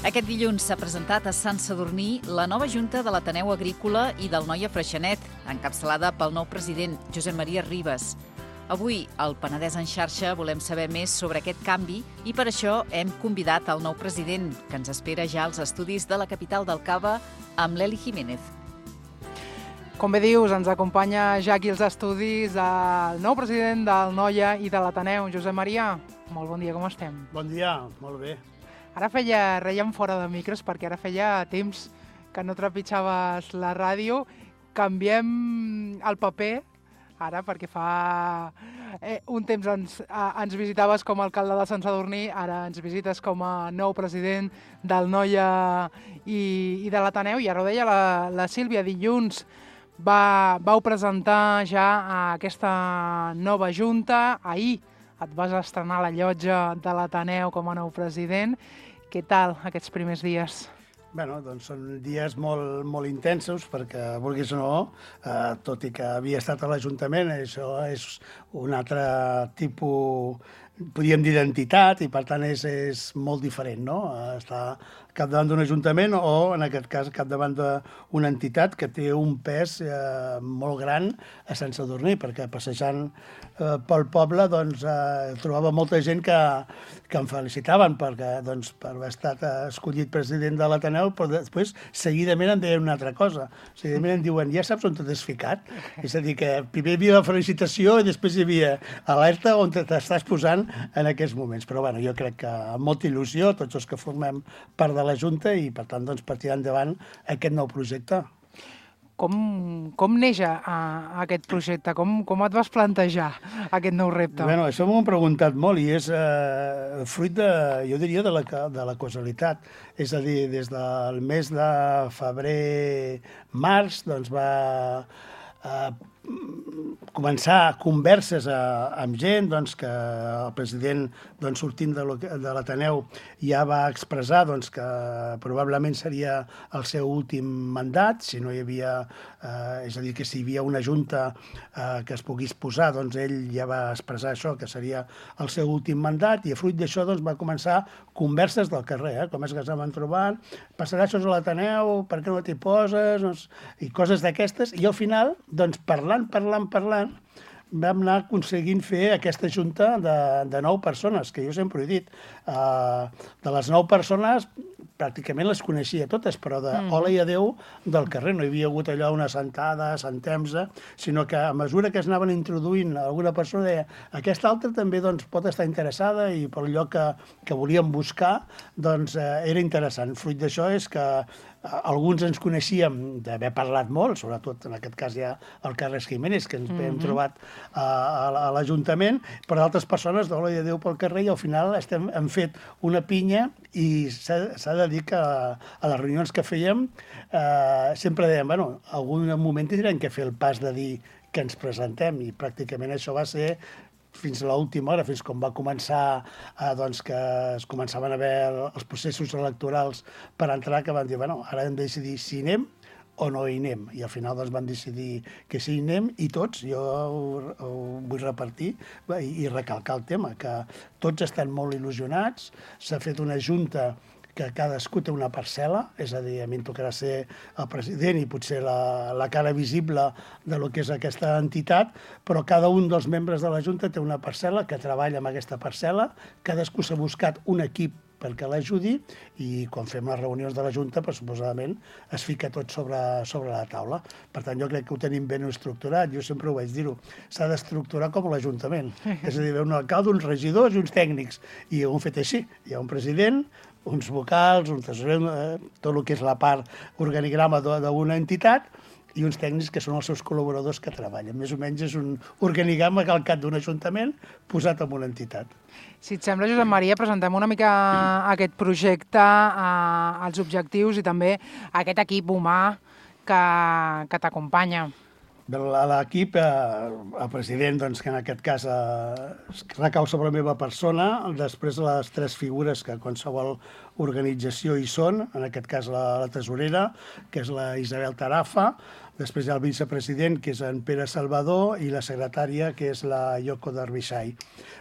Aquest dilluns s'ha presentat a Sant Sadurní la nova Junta de l'Ateneu Agrícola i del Noia Freixenet, encapçalada pel nou president, Josep Maria Ribas. Avui, al Penedès en xarxa, volem saber més sobre aquest canvi i per això hem convidat el nou president, que ens espera ja als estudis de la capital del Cava, amb l'Eli Jiménez. Com bé dius, ens acompanya ja aquí als estudis el nou president del Noia i de l'Ateneu, Josep Maria. Molt bon dia, com estem? Bon dia, molt bé. Ara rèiem fora de micros perquè ara feia temps que no trepitjaves la ràdio. Canviem el paper ara perquè fa un temps ens visitaves com a alcalde de Sant Sadurní, ara ens visites com a nou president del Noia i de l'Ateneu. I ara ho deia la Sílvia, dilluns vau presentar ja aquesta nova junta. Ahir et vas estrenar a la llotja de l'Ateneu com a nou president. Què tal aquests primers dies? Bé, doncs són dies molt intensos perquè, vulguis o no, tot i que havia estat a l'Ajuntament, això és un altre tipus, podríem dir, d'entitat i per tant és molt diferent, no? Estar capdavant d'un ajuntament o, en aquest cas, capdavant d'una entitat que té un pes molt gran a Sant Sadurní, perquè passejant pel poble trobava molta gent que em felicitaven perquè, per haver estat escollit president de l'Ateneu, però després seguidament em deien una altra cosa. Seguidament em diuen, ja saps on t'has ficat? És a dir, que primer hi havia la felicitació i després hi havia alerta on t'estàs posant en aquests moments. Però bueno, jo crec que amb molta il·lusió, tots els que formem part de la Junta i, per tant, per tirar endavant aquest nou projecte. Com neix aquest projecte? Com et vas plantejar aquest nou repte? Bé, això m'ho han preguntat molt i és fruit, jo diria, de la causalitat. És a dir, des del mes de febrer-març va començar converses amb gent que el president, sortint de l'Ateneu, ja va expressar que probablement seria el seu últim mandat, si no hi havia, és a dir, que si hi havia una junta que es pogués posar, ell ja va expressar això, que seria el seu últim mandat, i a fruit d'això va començar converses del carrer, com és que s'han trobat, passarà això a l'Ateneu, per què no t'hi poses, i coses d'aquestes, i al final, parlant, vam anar aconseguint fer aquesta junta de 9 persones, que jo sempre he dit. De les 9 persones, pràcticament les coneixia totes, però hola i adeu del carrer. No hi havia hagut allò una sentada, sentemsa, sinó que a mesura que es anaven introduint alguna persona deia aquesta altra també pot estar interessada i pel lloc que volíem buscar era interessant. Fruit d'això és que alguns ens coneixíem d'haver parlat molt, sobretot en aquest cas ja el Carles Jiménez, que ens hem trobat a l'Ajuntament, però d'altres persones d'hola i adeu pel carrer i al final hem fet una pinya i s'ha de dir que a les reunions que fèiem sempre dèiem, algun moment tindrem que fer el pas de dir que ens presentem i pràcticament això va ser fins a l'última hora, fins quan va començar que es començaven a veure els processos electorals per entrar, que van dir, ara hem de decidir si anem o no hi anem. I al final van decidir que sí hi anem i tots, jo ho vull repartir i recalcar el tema, que tots estan molt il·lusionats, s'ha fet una junta que cadascú té una parcel·la, és a dir, a mi em tocarà ser el president i potser la cara visible de lo que és aquesta entitat, però cada un dels membres de la Junta té una parcel·la que treballa amb aquesta parcel·la, cadascú s'ha buscat un equip perquè l'ajudi i quan fem les reunions de la Junta, suposadament, es fica tot sobre la taula. Per tant, jo crec que ho tenim ben estructurat, jo sempre ho vaig dir-ho, s'ha d'estructurar com l'Ajuntament, és a dir, un alcalde, uns regidors i uns tècnics, i ho hem fet així, hi ha un president, uns vocals, un tresorer, tot el que és la part organigrama d'una entitat, i uns tècnics que són els seus col·laboradors que treballen. Més o menys és un organigrama calcat d'un ajuntament posat en una entitat. Si et sembla, Josep Maria, presentem una mica aquest projecte, els objectius i també aquest equip humà que t'acompanya. L'equip, el president, que en aquest cas recau sobre la meva persona, després les 3 figures que qualsevol organització hi són, en aquest cas la tesorera, que és la Isabel Tarafa, Després hi ha el vicepresident, que és en Pere Salvador, i la secretària, que és la Yoko Derbyshire.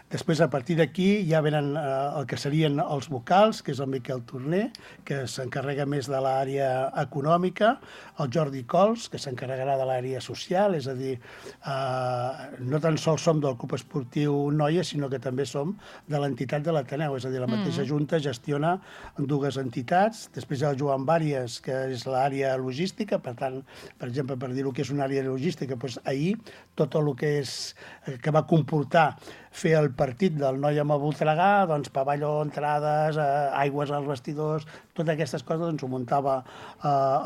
Després, a partir d'aquí, ja venen el que serien els vocals, que és el Miquel Torner, que s'encarrega més de l'àrea econòmica, el Jordi Cols, que s'encarregarà de l'àrea social, és a dir, no tan sols som del Club Esportiu Noia, sinó que també som de l'entitat de l'Ateneu, és a dir, la mateixa Junta gestiona dues entitats. Després hi ha el Joan Bàries, que és l'àrea logística, per tant, per exemple, per dir el que és una àrea logística, doncs ahir tot el que va comportar fer el partit del Noia amb el Voltregà, doncs pavelló, entrades, aigües als vestidors, totes aquestes coses doncs ho muntava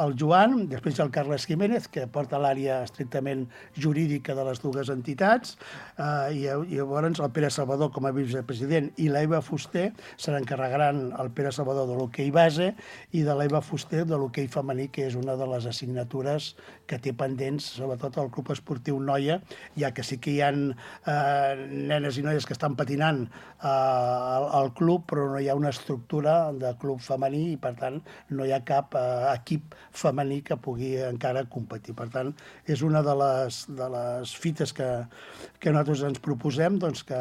el Joan. Després hi ha el Carles Jiménez, que porta l'àrea estrictament jurídica de les dues entitats, i llavors el Pere Salvador com a vicepresident i l'Eva Fuster se n'encarregaran el Pere Salvador de l'hoquei base i de l'Eva Fuster de l'hoquei femení, que és una de les assignatures que té pendents, sobretot al Club Esportiu Noia, ja que sí que hi ha nenes i noies que estan patinant al club, però no hi ha una estructura de club femení i, per tant, no hi ha cap equip femení que pugui encara competir. Per tant, és una de les fites que nosaltres ens proposem, doncs, que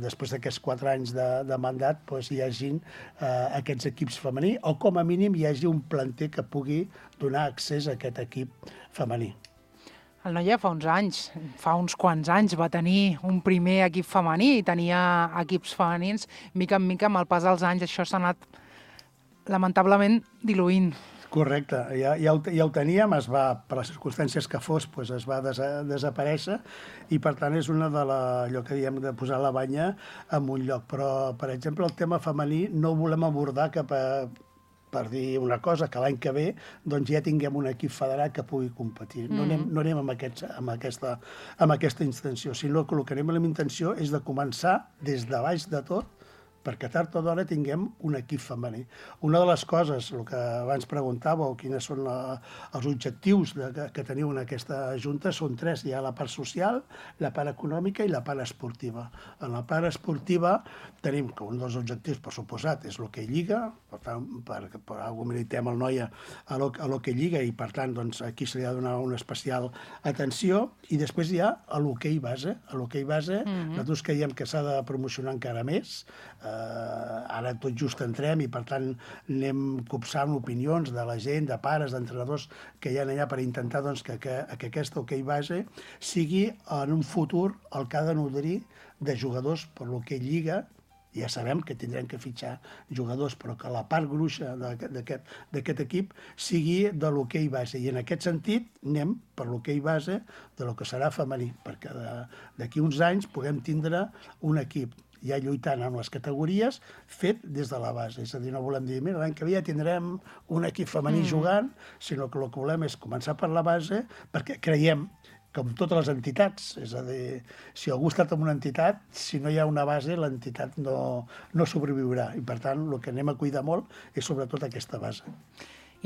després d'aquests 4 anys de mandat hi hagin aquests equips femení, o com a mínim hi hagi un planter que pugui donar accés a aquest equip femení. El Noia fa uns quants anys, va tenir un primer equip femení i tenia equips femenins. Mica en mica, amb el pas dels anys, això s'ha anat lamentablement diluint. Correcte, ja ho teníem, per les circumstàncies que fos, es va desaparèixer i, per tant, és una de allò que diem de posar la banya en un lloc. Però, per exemple, el tema femení no ho volem abordar per dir una cosa, que l'any que ve doncs ja tinguem un equip federat que pugui competir. No anem amb aquesta intenció, sinó que el que anem amb la intenció és de començar des de baix de tot, perquè tard o d'hora tinguem un equip femení. Una de les coses, el que abans preguntàveu, quines són els objectius que teniu en aquesta Junta, són 3. Hi ha la part social, la part econòmica i la part esportiva. En la part esportiva tenim que un dels objectius, per suposat, és l'hoquei lliga, per tant, per alguna militem el Noia a l'hoquei lliga i, per tant, aquí se li ha de donar una especial atenció. I després hi ha l'hoquei base. A l'hoquei base nosaltres creiem que s'ha de promocionar encara més. Ara tot just entrem i, per tant, anem copsant opinions de la gent, de pares, d'entrenadors que hi ha allà per intentar que aquest hoquei base sigui en un futur el que ha de nodrir de jugadors per l'hoquei lliga. Ja sabem que tindrem que fitxar jugadors, però que la part gruixa d'aquest equip sigui de l'hoquei base. I en aquest sentit anem per l'hoquei base de lo que serà femení, perquè d'aquí uns anys puguem tindre un equip ja lluitant amb les categories, fet des de la base. És a dir, no volem dir, mira, l'any que ve ja tindrem un equip femení jugant, sinó que el que volem és començar per la base, perquè creiem, com totes les entitats, és a dir, si algú ha estat en una entitat, si no hi ha una base, l'entitat no sobreviurà. I, per tant, el que anem a cuidar molt és sobretot aquesta base.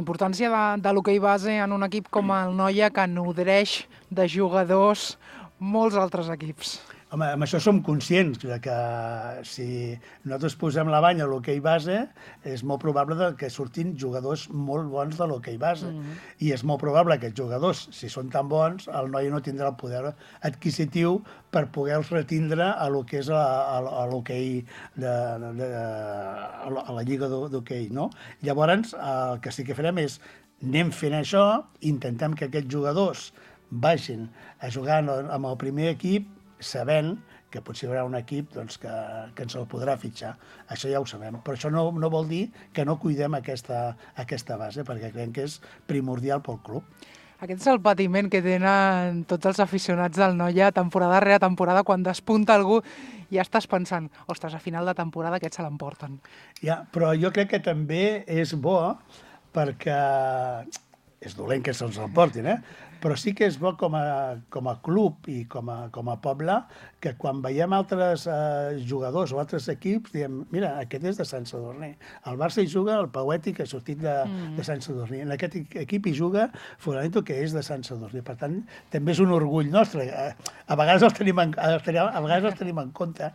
Importància de l'hoquei base en un equip com el Noia, que nodreix de jugadors molts altres equips. Home, amb això som conscients que si nosaltres posem la banya a l'hoquei base, és molt probable que surtin jugadors molt bons de l'hoquei base. I és molt probable que els jugadors, si són tan bons, el Noia no tindrà el poder adquisitiu per poder-los retindre a lo que és a l'hoquei, a la lliga d'hoquei, no? Llavors, el que sí que farem és anem fent això, intentem que aquests jugadors vagin a jugar amb el primer equip, sabent que potser hi haurà un equip que ens el podrà fitxar. Això ja ho sabem, però això no vol dir que no cuidem aquesta base, perquè creiem que és primordial pel club. Aquest és el patiment que tenen tots els aficionats del Noia, temporada rere temporada, quan despunta algú ja estàs pensant, ostres, a final de temporada aquests se l'emporten. Ja, però jo crec que també és bo, perquè és dolent que se'ls emportin, però sí que és bo com a club i com a poble que quan veiem altres jugadors o altres equips diem, mira, aquest és de Sant Sadurní. El Barça hi juga el Paueti, que ha sortit de Sant Sadurní. En aquest equip hi juga Fulanito, que és de Sant Sadurní. Per tant, també és un orgull nostre. A vegades els tenim en contra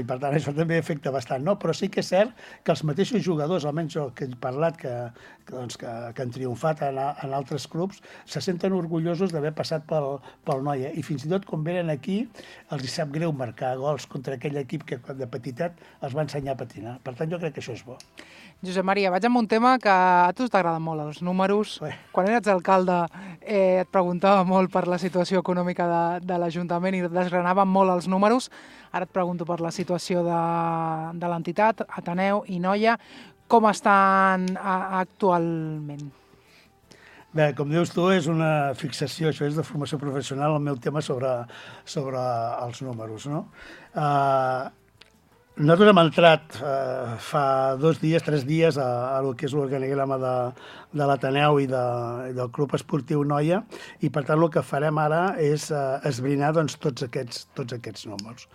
i, per tant, això també afecta bastant, no? Però sí que és cert que els mateixos jugadors, almenys jo que he parlat, que han triomfat en altres clubs, se senten senten orgullosos d'haver passat pel Noia. I fins i tot quan venen aquí els hi sap greu marcar gols contra aquell equip que de petitet els va ensenyar a patinar. Per tant, jo crec que això és bo. Josep Maria, vaig amb un tema que a tu t'agraden molt, els números. Quan eres alcalde et preguntava molt per la situació econòmica de l'Ajuntament i desgranaven molt els números. Ara et pregunto per la situació de l'entitat, Ateneu i Noia. Com estan actualment? Bé, com dius tu, és una fixació, això és de formació professional, el meu tema sobre els números, no? Nosaltres hem entrat fa 2 dies, 3 dies a lo que és l'organigrama de l'Ateneu i del Club Esportiu Noia i, per tant, el que farem ara és esbrinar doncs, tots aquests números.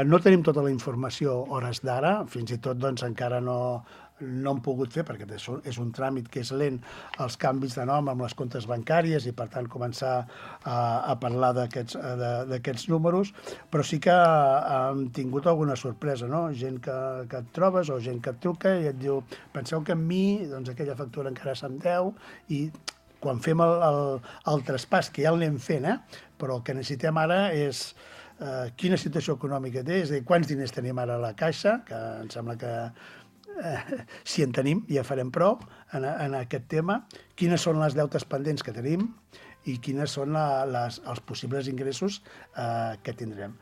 No tenim tota la informació hores d'ara, fins i tot doncs, encara no hem pogut fer, perquè és un tràmit que és lent, els canvis de nom amb les comptes bancàries i, per tant, començar a parlar d'aquests números, però sí que hem tingut alguna sorpresa, no? Gent que et trobes o gent que et truca i et diu, penseu que amb mi doncs, aquella factura encara se'm deu i quan fem el traspàs, que ja l'anem fent, però el que necessitem ara és quina situació econòmica té, és a dir, quants diners tenim ara a la caixa, que em sembla que si en tenim, ja farem prou en aquest tema, quines són les deutes pendents que tenim i quines són els possibles ingressos que tindrem.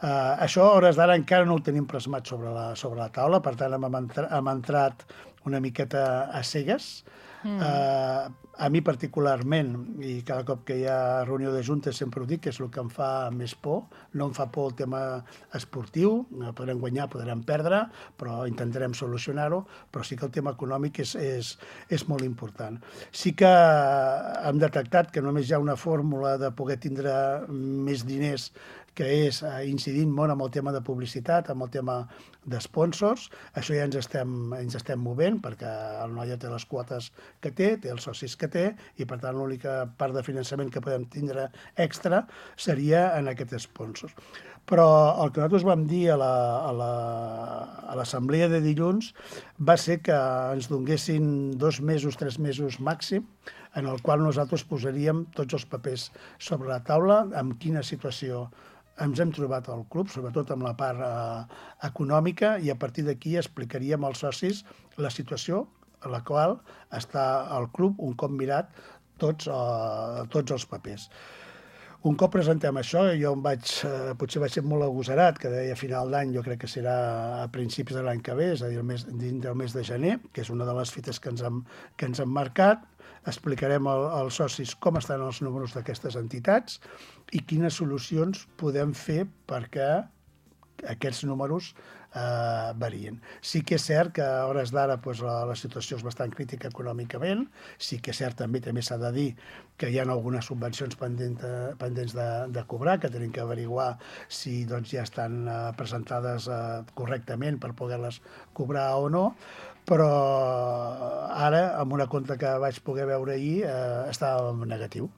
Això, a hores d'ara, encara no ho tenim plasmat sobre la taula, per tant, hem entrat una miqueta a cegues. A mi particularment, i cada cop que hi ha reunió de juntes sempre ho dic, que és el que em fa més por. No em fa por el tema esportiu, podrem guanyar, podrem perdre, però intentarem solucionar-ho, però sí que el tema econòmic és molt important. Sí que hem detectat que només hi ha una fórmula de poder tindre més diners que és incidint molt amb el tema de publicitat, amb el tema d'esponsors. Això ja ens estem movent, perquè el Noia té les quotes que té els socis que té, i per tant l'única part de finançament que podem tindre extra seria en aquests sponsors. Però el que nosaltres vam dir a l'assemblea de dilluns va ser que ens donguessin 2 mesos, 3 mesos màxim, en el qual nosaltres posaríem tots els papers sobre la taula, amb quina situació ens hem trobat al club, sobretot amb la part econòmica, i a partir d'aquí explicaríem als socis la situació en la qual està el club un cop mirat tots els papers. Un cop presentem això, jo potser vaig ser molt agosarat, que deia a final d'any, jo crec que serà a principis de l'any que ve, és a dir, dins del mes de gener, que és una de les fites que ens hem marcat. Explicarem als socis com estan els números d'aquestes entitats i quines solucions podem fer perquè aquests números varien. Sí que és cert que a hores d'ara la situació és bastant crítica econòmicament, sí que és cert també s'ha de dir que hi ha algunes subvencions pendents de cobrar, que tenim que averiguar si ja estan presentades correctament per poder-les cobrar o no, però ara, amb una compta que vaig poder veure ahir, estava en negatiu.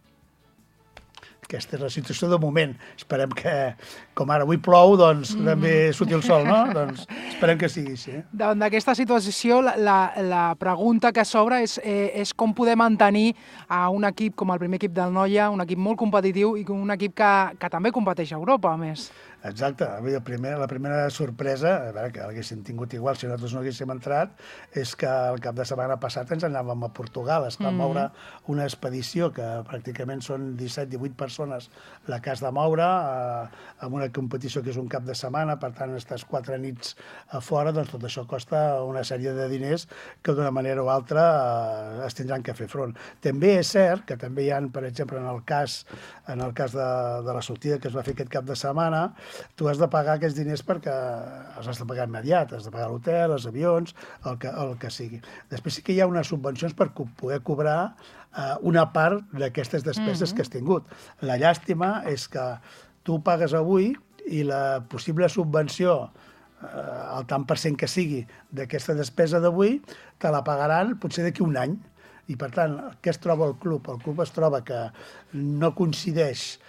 Aquesta és la situació de moment. Esperem que, com ara avui plou, doncs també surti el sol, no? Doncs esperem que sigui així. Davant d'aquesta situació, la pregunta que s'obre és com poder mantenir a un equip com el primer equip del Noia, un equip molt competitiu i un equip que també competeix a Europa, a més. Exacte. La primera sorpresa, a veure, que l'haguéssim tingut igual si nosaltres no haguéssim entrat, és que el cap de setmana passat ens anàvem a Portugal. Es va moure una expedició que pràcticament són 17-18 persones la que has de moure amb una competició que és un cap de setmana, per tant estàs 4 nits a fora, doncs tot això costa una sèrie de diners que d'una manera o altra es tindran que fer front. També és cert que també hi ha, per exemple, en el cas de la sortida que es va fer aquest cap de setmana, tu has de pagar aquests diners perquè els has de pagar immediat, has de pagar l'hotel, els avions, el que sigui. Després sí que hi ha unes subvencions per poder cobrar una part d'aquestes despeses que has tingut. La llàstima és que tu pagues avui i la possible subvenció, el tant per cent que sigui d'aquesta despesa d'avui, te la pagaran potser d'aquí un any. I, per tant, què es troba el club? El club es troba que no coincideix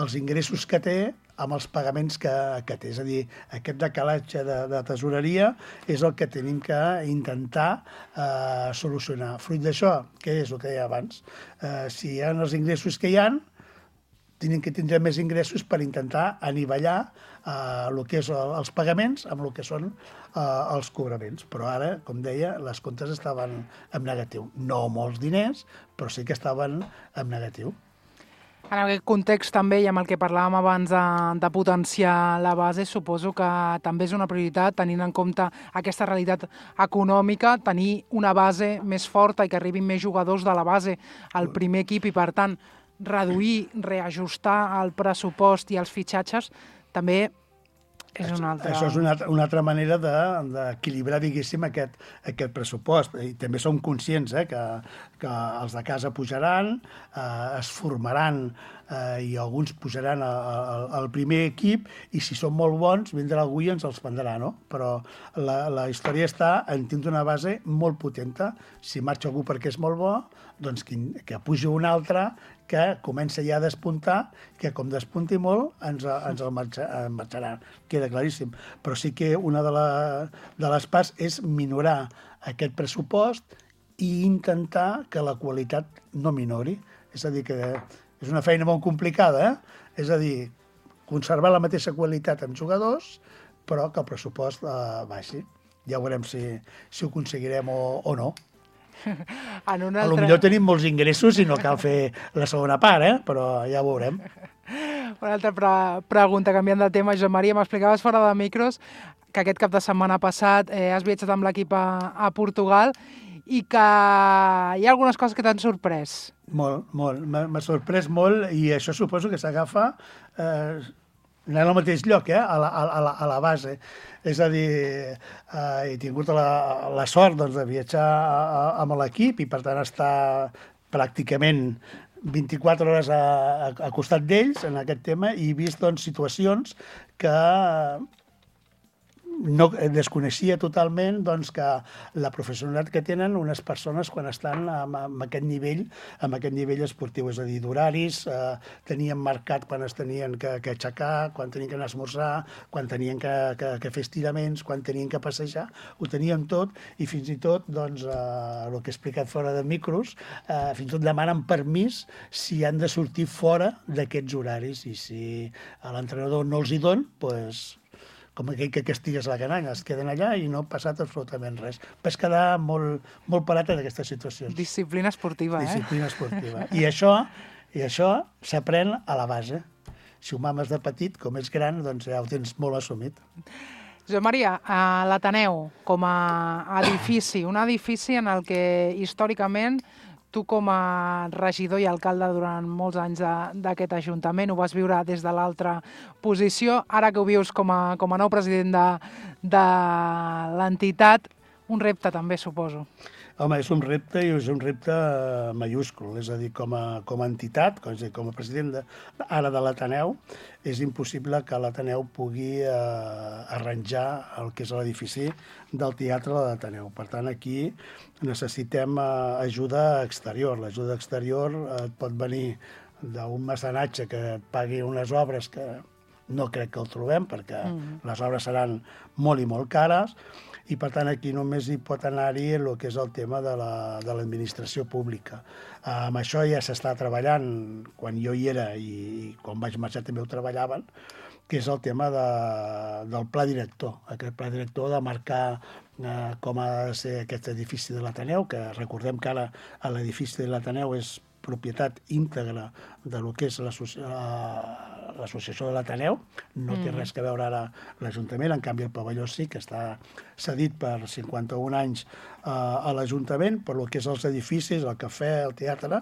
els ingressos que té amb els pagaments que té. És a dir, aquest decalatge de tesoreria és el que tenim que intentar solucionar. Fruit d'això, què és el que deia abans? Si hi ha els ingressos que hi ha, tenim que tindre més ingressos per intentar anivellar el que és els pagaments amb el que són els cobraments. Però ara, com deia, les comptes estaven en negatiu. No molts diners, però sí que estaven en negatiu. En aquest context també, i amb el que parlàvem abans de potenciar la base, suposo que també és una prioritat, tenint en compte aquesta realitat econòmica, tenir una base més forta i que arribin més jugadors de la base al primer equip i, per tant, reduir, reajustar el pressupost i els fitxatges, també és una altra... Això és una altra manera d'equilibrar, diguéssim, aquest pressupost. I també som conscients que els de casa pujaran, es formaran i alguns pujaran al primer equip i si són molt bons vindrà algú i ens els prendrà, no? Però la història està en tindre una base molt potenta. Si marxa algú perquè és molt bo, doncs que pugi un altre que comença ja a despuntar, que com despunti molt ens el marxarà. Queda claríssim. Però sí que una de les parts és minorar aquest pressupost i intentar que la qualitat no minori. És a dir, que és una feina molt complicada, És a dir, conservar la mateixa qualitat amb jugadors, però que el pressupost baixi. Ja veurem si ho aconseguirem o no. Potser tenim molts ingressos i no cal fer la segona part, però ja ho veurem. Una altra pregunta, canviant de tema. Josep Maria, m'explicaves fora de micros que aquest cap de setmana passat has viatjat amb l'equip a Portugal i que hi ha algunes coses que t'han sorprès. Molt. M'ha sorprès molt i això suposo que s'agafa anant al mateix lloc, a la base. És a dir, he tingut la sort de viatjar amb l'equip i, per tant, estar pràcticament 24 hores a costat d'ells en aquest tema i he vist situacions que no desconeixia totalment que la professionalitat que tenen unes persones quan estan amb aquest nivell esportiu, és a dir, d'horaris, tenien marcat quan es tenien que aixecar, quan tenien que anar a esmorzar, quan tenien que fer estiraments, quan tenien que passejar, ho tenien tot i fins i tot, el que he explicat fora de micros, fins i tot demanen permís si han de sortir fora d'aquests horaris i si a l'entrenador no els hi don, doncs com aquell que castigues la canalla, es queden allà i no ha passat absolutament res. Vas quedar molt parat en aquestes situacions. Disciplina esportiva, Disciplina esportiva. I això s'aprèn a la base. Si ho mames de petit, com és gran, doncs ja ho tens molt assumit. Josep Maria, l'Ateneu, com a edifici, un edifici en el que històricament tu com a regidor i alcalde durant molts anys d'aquest Ajuntament ho vas viure des de l'altra posició. Ara que ho vius com a nou president de l'entitat, un repte també, suposo. Home, és un repte i és un repte mayúscul. És a dir, com a entitat, com a president ara de l'Ateneu, és impossible que l'Ateneu pugui arranjar el que és l'edifici del teatre de l'Ateneu. Per tant, aquí necessitem ajuda exterior. L'ajuda exterior et pot venir d'un mecenatge que et pagui unes obres que no crec que el trobem, perquè les obres seran molt i molt cares, i per tant aquí només hi pot anar-hi el que és el tema de l'administració pública. Amb això ja s'està treballant quan jo hi era i quan vaig marxar també ho treballaven, que és el tema del pla director. Aquest pla director de marcar com ha de ser aquest edifici de l'Ateneu, que recordem que ara l'edifici de l'Ateneu és propietat íntegra de lo que és l'associació de l'Ateneu, no té res a veure ara l'Ajuntament, en canvi el pavelló sí que està cedit per 51 anys a l'Ajuntament, per lo que és els edificis, el cafè, el teatre,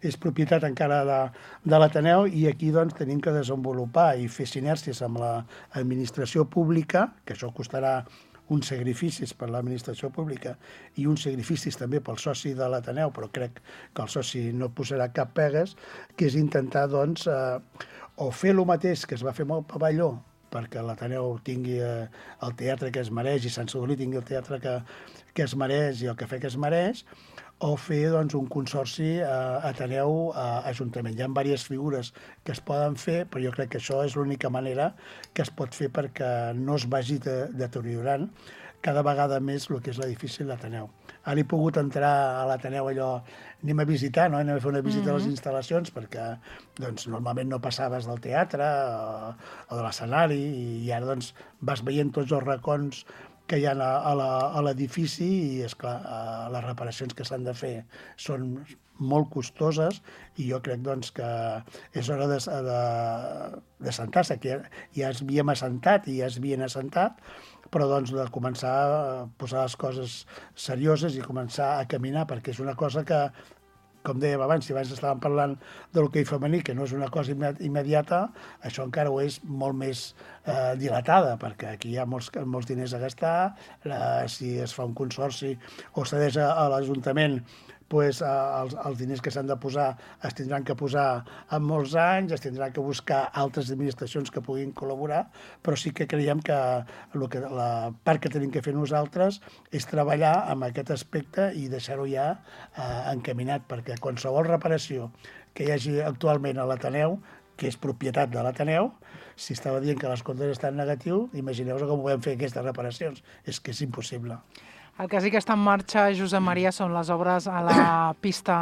és propietat encara de l'Ateneu i aquí doncs tenim que desenvolupar i fer sinèrcies amb l'administració pública, que això costarà uns sacrificis per l'administració pública i uns sacrificis també pel soci de l'Ateneu, però crec que el soci no posarà cap pegues, que és intentar, doncs, o fer el mateix que es va fer amb el pavelló, perquè l'Ateneu tingui el teatre que es mereix i Sant Sadurní tingui el teatre que es mereix i el cafè que es mereix, o fer doncs, un consorci Ateneu-Ajuntament. Hi ha diverses figures que es poden fer, però jo crec que això és l'única manera que es pot fer perquè no es vagi deteriorant cada vegada més el que és l'edifici de l'Ateneu. Ara he pogut entrar a l'Ateneu allò, anem a visitar, no? Anem a fer una visita a les instal·lacions perquè doncs, normalment no passaves del teatre o de l'escenari i ara doncs, vas veient tots els racons que hi ha a l'edifici i, esclar, les reparacions que s'han de fer són molt costoses i jo crec doncs, que és hora d'assentar-se, que ja es havíem assentat i ja es havien assentat, però doncs, de començar a posar les coses serioses i començar a caminar, perquè és una cosa que, com dèiem abans, si abans estàvem parlant de l'hoquei femení, que no és una cosa immediata, això encara ho és molt més dilatada, perquè aquí hi ha molts diners a gastar, si es fa un consorci o cedeix a l'Ajuntament, doncs, els diners que s'han de posar es tindran que posar en molts anys, es tindran que buscar altres administracions que puguin col·laborar, però sí que creiem que la part que tenim que fer nosaltres és treballar amb aquest aspecte i deixar-ho ja encaminat, perquè qualsevol reparació que hi hagi actualment a l'Ateneu, que és propietat de l'Ateneu, si estava dient que les comptes estan negatius, imagineu-vos com podem fer aquestes reparacions. És que és impossible. El que sí que està en marxa, Josep Maria, són les obres a la pista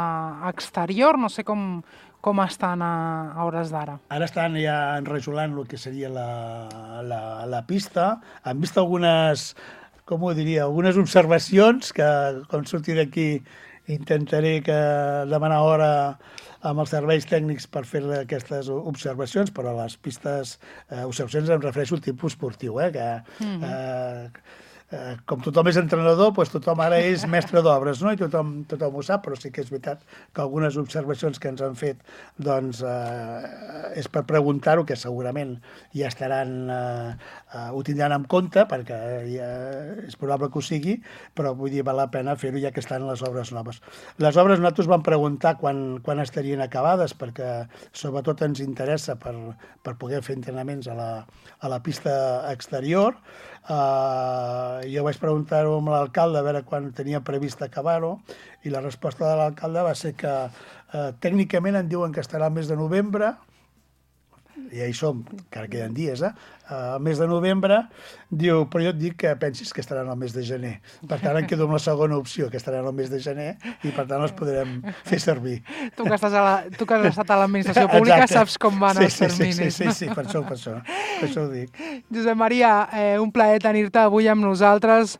exterior. No sé com estan a hores d'ara. Ara estan ja enrajolant el que seria la pista. Han vist algunes, com ho diria, algunes observacions que, com surti d'aquí, intentaré demanar hora amb els serveis tècnics per fer aquestes observacions, però les pistes, observacions em refereixo al tipus esportiu, com tothom és entrenador, doncs tothom ara és mestre d'obres, no? I tothom ho sap, però sí que és veritat que algunes observacions que ens han fet doncs, és per preguntar-ho, que segurament ja ho tindran en compte, perquè és probable que ho sigui, però vull dir, val la pena fer-ho ja que estan les obres noves. Les obres nosaltres vam preguntar quan estarien acabades, perquè sobretot ens interessa per poder fer entrenaments a la pista exterior. Jo vaig preguntar-ho amb l'alcalde a veure quan tenia previst acabar-ho i la resposta de l'alcalde va ser que tècnicament em diuen que estarà al mes de novembre, ja hi som, encara queden dies, al mes de novembre, diu, però jo et dic que pensis que estaran al mes de gener. Per tant, em quedo amb la segona opció, que estaran al mes de gener, i per tant els podrem fer servir. Tu que has estat a l'administració pública, saps com van els terminis. Sí, per això ho dic. Josep Maria, un plaer tenir-te avui amb nosaltres,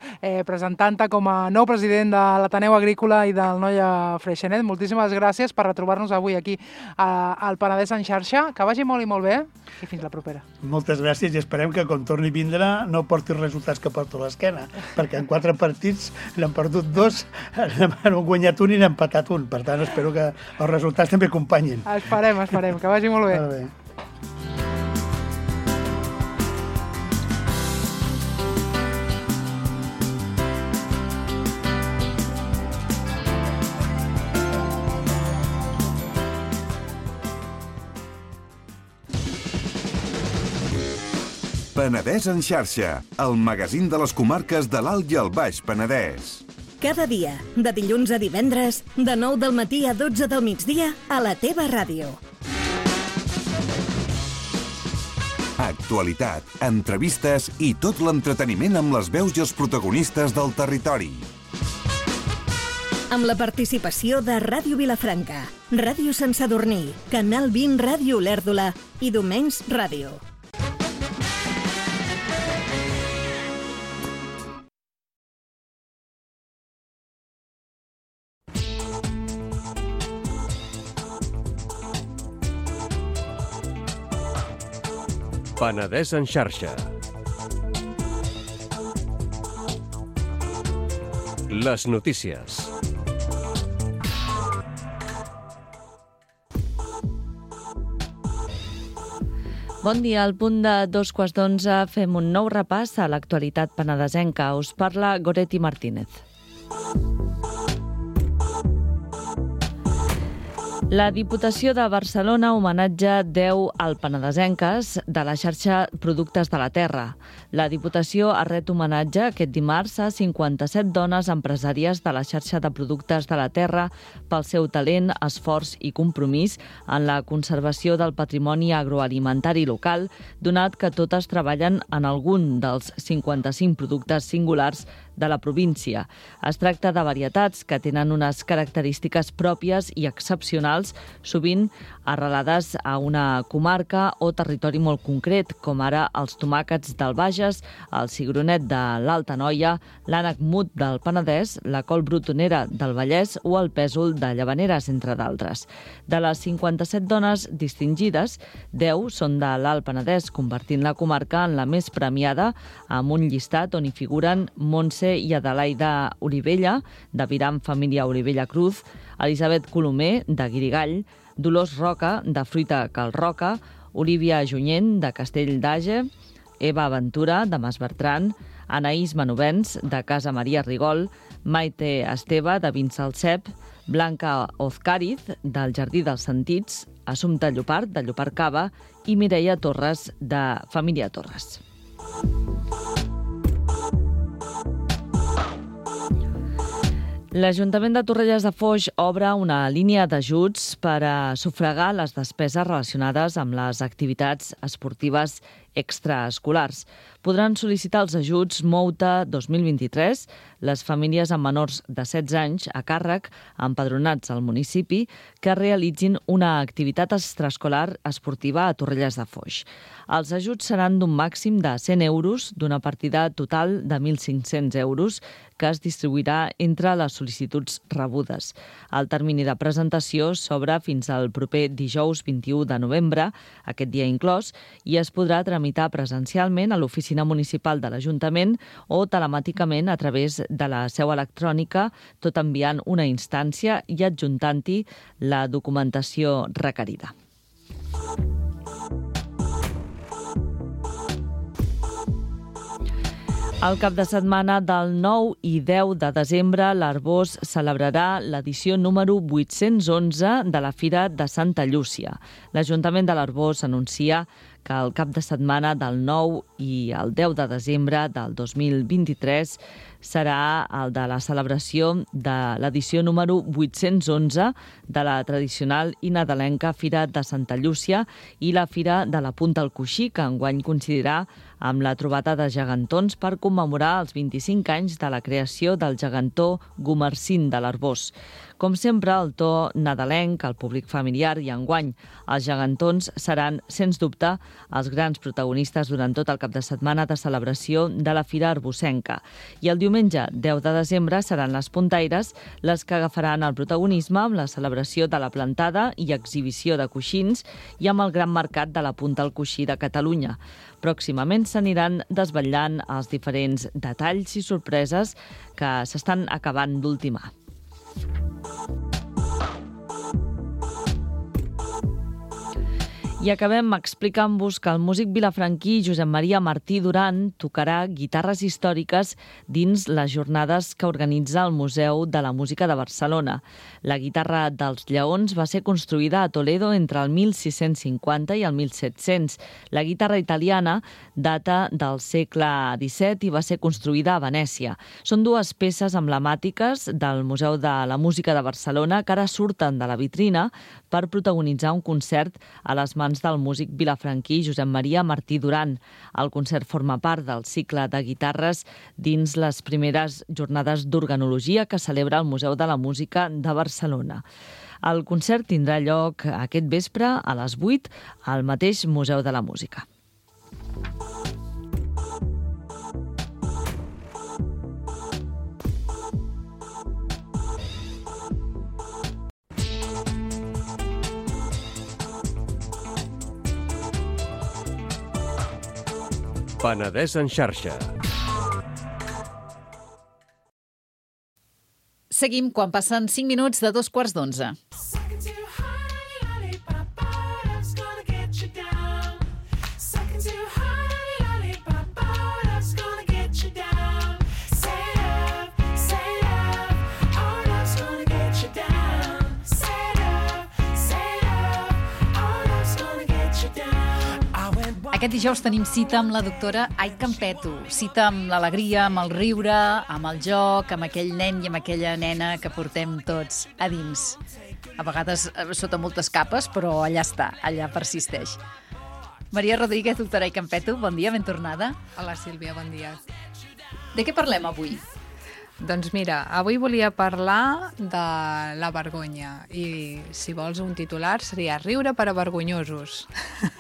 presentant-te com a nou president de l'Ateneu Agrícola i del Noia Freixenet. Moltíssimes gràcies per retrobar-nos avui aquí al Penedès en xarxa. Que vagi molt i molt bé, i fins la propera. Moltes gràcies i esperem que quan torni a vindre no porti els resultats que porto a l'esquena, perquè en 4 partits n'hem perdut 2, n'hem guanyat 1 i n'hem empatat 1. Per tant, espero que els resultats també acompanyin. Esperem, que vagi molt bé. Molt bé. Penedès en xarxa, el magazín de les comarques de l'Alt i el Baix Penedès. Cada dia, de dilluns a divendres, de 9 del matí a 12 del migdia, a la teva ràdio. Actualitat, entrevistes i tot l'entreteniment amb les veus i els protagonistes del territori. Amb la participació de Ràdio Vilafranca, Ràdio Sant Sadurní, Canal 20 Ràdio Olèrdola i Domenys Ràdio. Penedès en xarxa. Les notícies. Bon dia, al punt de 2:15 fem un nou repàs a l'actualitat penedesenca. Us parla Goretti Martínez. La Diputació de Barcelona homenatja 10 alpenadesenques de la xarxa Productes de la Terra. La Diputació ha ret homenatge aquest dimarts a 57 dones empresàries de la xarxa de Productes de la Terra pel seu talent, esforç i compromís en la conservació del patrimoni agroalimentari local, donat que totes treballen en algun dels 55 productes singulars de la província. Es tracta de varietats que tenen unes característiques pròpies i excepcionals, sovint arrelades a una comarca o territori molt concret, com ara els tomàquets del Bages, el cigronet de l'Alta Noia, l'ànec mut del Penedès, la col brutonera del Vallès o el pèsol de Llavaneres, entre d'altres. De les 57 dones distingides, 10 són de l'Alt Penedès, convertint la comarca en la més premiada, amb un llistat on hi figuren Montse i Adelaida Olivella, de Viram Família Olivella Cruz, Elisabet Colomer, de Guirigall, Dolors Roca, de Fruita Cal Roca, Olivia Junyent, de Castell d'Age, Eva Ventura, de Mas Bertran, Anaïs Manovens, de Casa Maria Rigol, Maite Esteve, de Vinsalcep, Blanca Ozcariz, del Jardí dels Sentits, Assumpta Llopart, de Llopart Cava, i Mireia Torres, de Família Torres. L'Ajuntament de Torrelles de Foix obre una línia d'ajuts per a sufragar les despeses relacionades amb les activitats esportives extraescolars. Podran sol·licitar els ajuts Mouta 2023 les famílies amb menors de 16 anys a càrrec empadronats al municipi que realitzin una activitat extraescolar esportiva a Torrelles de Foix. Els ajuts seran d'un màxim de 100 euros d'una partida total de 1.500 euros que es distribuirà entre les sol·licituds rebudes. El termini de presentació s'obre fins al proper dijous 21 de novembre, aquest dia inclòs, i es podrà tramitar presencialment a l'oficina municipal de l'Ajuntament o telemàticament a través de la seu electrònica, tot enviant una instància i adjuntant-hi la documentació requerida. El cap de setmana del 9 i 10 de desembre, l'Arbós celebrarà l'edició número 811 de la Fira de Santa Llúcia. L'Ajuntament de l'Arbós anuncia que el cap de setmana del 9 i el 10 de desembre del 2023 serà el de la celebració de l'edició número 811 de la tradicional i nadalenca Fira de Santa Llúcia i la Fira de la Punta al Coixí, que enguany coincidirà amb la trobada de gegantons per commemorar els 25 anys de la creació del gegantó Gumercín de l'Arbós. Com sempre, el to nadalenc, el públic familiar i enguany els gegantons seran, sens dubte, els grans protagonistes durant tot el cap de setmana de celebració de la Fira Arbosenca. I el diumenge 10 de desembre seran les puntaires les que agafaran el protagonisme amb la celebració de la plantada i exhibició de coixins i amb el gran mercat de la Punta al Coixí de Catalunya. Pròximament s'aniran desvetllant els diferents detalls i sorpreses que s'estan acabant d'ultimar. I acabem explicant-vos que el músic vilafranquí Josep Maria Martí Duran tocarà guitarres històriques dins les jornades que organitza el Museu de la Música de Barcelona. La guitarra dels Lleons va ser construïda a Toledo entre el 1650 i el 1700. La guitarra italiana data del segle XVII i va ser construïda a Venècia. Són dues peces emblemàtiques del Museu de la Música de Barcelona que ara surten de la vitrina per protagonitzar un concert a les mans del músic vilafranquí Josep Maria Martí Duran. El concert forma part del cicle de guitarres dins les primeres jornades d'organologia que celebra el Museu de la Música de Barcelona. El concert tindrà lloc aquest vespre a les 8 al mateix Museu de la Música. Penedès en xarxa. Seguim quan passen 5 minuts de 2:15. Aquest dijous tenim cita amb la doctora Ai Campeto. Cita amb l'alegria, amb el riure, amb el joc, amb aquell nen i amb aquella nena que portem tots a dins. A vegades sota moltes capes, però allà està, allà persisteix. Maria Rodríguez, doctora Ai Campeto, bon dia, ben tornada. Hola, Sílvia, bon dia. De què parlem avui? Doncs mira, avui volia parlar de la vergonya i, si vols un titular, seria Riure per a vergonyosos.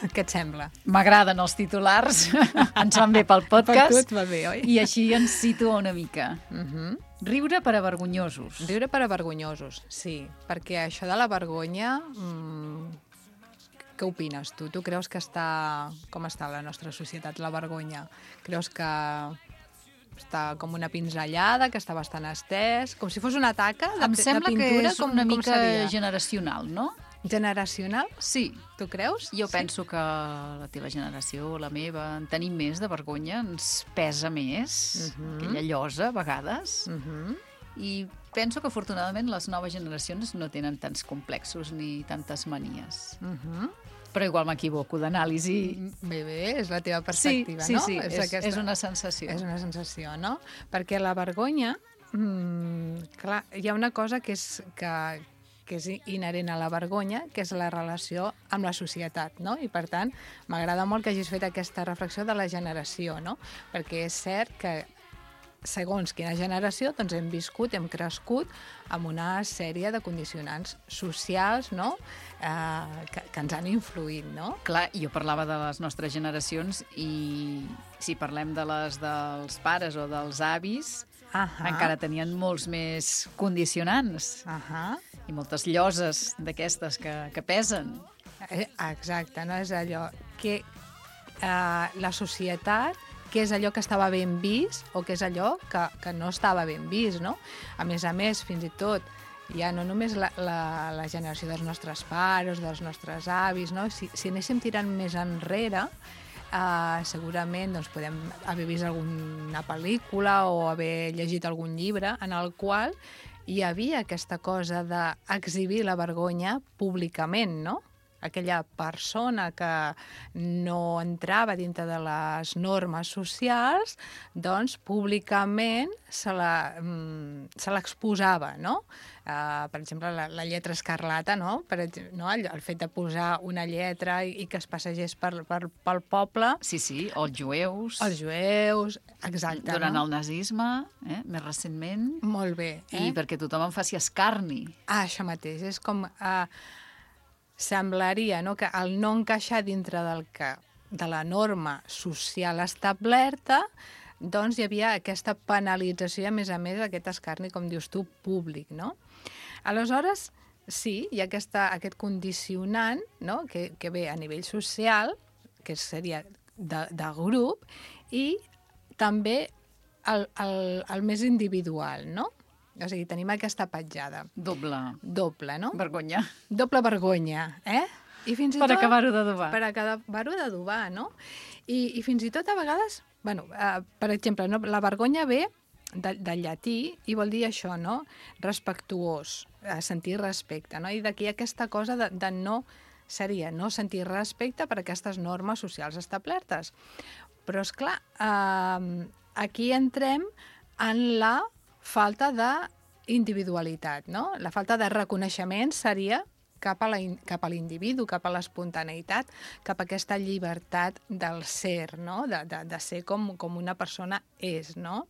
Què et sembla? M'agraden els titulars, ens van bé pel podcast. Per tu et va bé, oi? I així ens situa una mica. Riure per a vergonyosos. Riure per a vergonyosos, sí. Perquè això de la vergonya... Què opines tu? Tu creus que com està la nostra societat, la vergonya? Creus que està com una pinzellada, que està bastant estès, com si fos una taca de pintura? Em sembla que és una mica seria? generacional, no? Generacional? Sí. Tu creus? Jo penso que la teva generació, la meva, en tenim més de vergonya, ens pesa més, aquella llosa, a vegades, i penso que, afortunadament, les noves generacions no tenen tants complexos ni tantes manies. Però igual m'equivoco d'anàlisi. Bé, és la teva perspectiva, no? Sí, és una sensació. És una sensació, no? Perquè la vergonya, clar, hi ha una cosa que és inherent a la vergonya, que és la relació amb la societat, no? I, per tant, m'agrada molt que hagis fet aquesta reflexió de la generació, no? Perquè és cert que segons quina generació, doncs hem viscut, hem crescut amb una sèrie de condicionants socials, no?, que ens han influït, no? Clar, jo parlava de les nostres generacions i si parlem de les dels pares o dels avis, encara tenien molts més condicionants i moltes lloses d'aquestes que pesen. Exacte, no? És allò que la societat, què és allò que estava ben vist o què és allò que no estava ben vist, no? A més, fins i tot, ja no només la generació dels nostres pares, dels nostres avis, no? Si anéssim tirant més enrere, segurament doncs, podem haver vist alguna pel·lícula o haver llegit algun llibre en el qual hi havia aquesta cosa d'exhibir la vergonya públicament, no? Aquella persona que no entrava dintre de les normes socials, doncs públicament se l'exposava, no? Per exemple, la lletra escarlata, no? El fet de posar una lletra i que es passegés pel poble. Sí, o els jueus. Els jueus, exacte. Durant el nazisme, més recentment. Molt bé. I perquè tothom en faci escarni. Això mateix, és com... Semblaria, no?, que al no encaixar dintre de la norma social establerta, doncs hi havia aquesta penalització i, a més, aquest escarni, com dius tu, públic, no? Aleshores, sí, hi ha aquest condicionant, no?, que ve a nivell social, que seria de grup, i també el més individual, no? O sigui, tenim aquesta petjada. Doble, no? Vergonya. Doble vergonya, I fins i tot... Per acabar-ho d'adobar. Per acabar-ho d'adobar, no? I fins i tot a vegades... per exemple, no? La vergonya ve del llatí i vol dir això, no? Respectuós, sentir respecte, no? I d'aquí aquesta cosa de no... Seria no sentir respecte per aquestes normes socials establertes. Però, esclar, aquí entrem en la falta d'individualitat, no? La falta de reconeixement seria cap a l'individu, cap a l'espontaneïtat, cap a aquesta llibertat del ser, no? De ser com una persona és, no?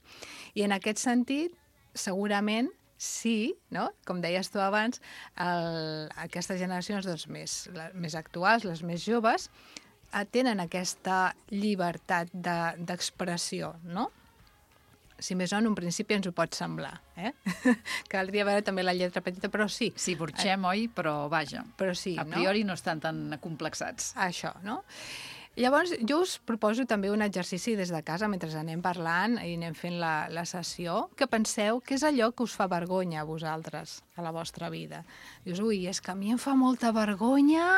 I en aquest sentit, segurament, sí, no? Com deies tu abans, aquestes generacions doncs, més actuals, les més joves, tenen aquesta llibertat d'expressió, no? Si més no, en un principi ens ho pot semblar. Caldria veure també la lletra petita, però sí. Sí, burxem, oi? Però vaja, però sí, a priori no estan tan acomplexats. Això, no? Llavors, jo us proposo també un exercici des de casa, mentre anem parlant i anem fent la sessió, que penseu què és allò que us fa vergonya a vosaltres, a la vostra vida. Dius, ui, és que a mi em fa molta vergonya...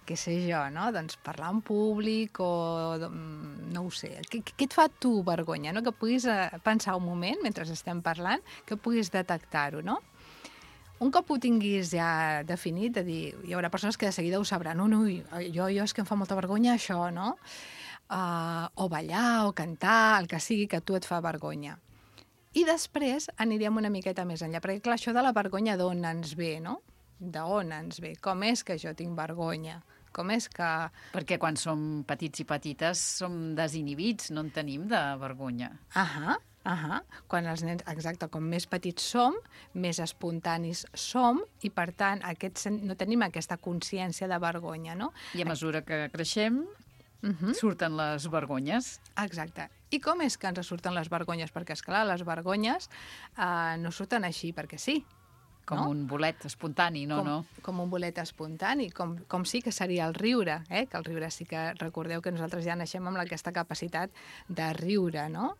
què sé jo, no? Doncs parlar en públic o... no ho sé. Què et fa tu vergonya, no? Que puguis pensar un moment, mentre estem parlant, que puguis detectar-ho, no? un cop ho tinguis ja definit, de dir, hi haurà persones que de seguida ho sabran. No, jo és que em fa molta vergonya això, no? O ballar, o cantar, el que sigui que a tu et fa vergonya. I després aniríem una miqueta més enllà, perquè clar, això de la vergonya d'on ens ve, no? D'on ens ve? Com és que jo tinc vergonya? Com és que... Perquè quan som petits i petites som desinhibits, no en tenim de vergonya. Quan els nens, exacte, com més petits som, més espontanis som i, per tant, no tenim aquesta consciència de vergonya, no? I a mesura que creixem, surten les vergonyes. Exacte. I com és que ens surten les vergonyes? Perquè, esclar, les vergonyes no surten així perquè sí. Com un bolet espontani, no? Com un bolet espontani, com sí que seria el riure, que el riure sí que recordeu que nosaltres ja naixem amb aquesta capacitat de riure, no?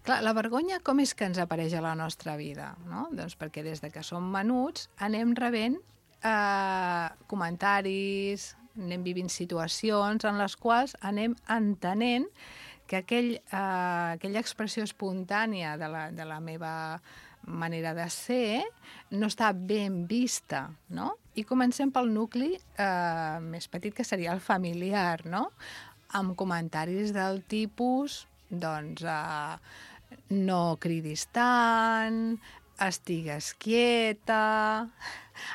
Clar, la vergonya com és que ens apareix a la nostra vida? No? Doncs perquè des de que som menuts anem rebent comentaris, anem vivint situacions en les quals anem entenent que aquella expressió espontània de la meva manera de ser no està ben vista, no? I comencem pel nucli més petit, que seria el familiar, no? Amb comentaris del tipus, doncs, no cridis tant, estigues quieta,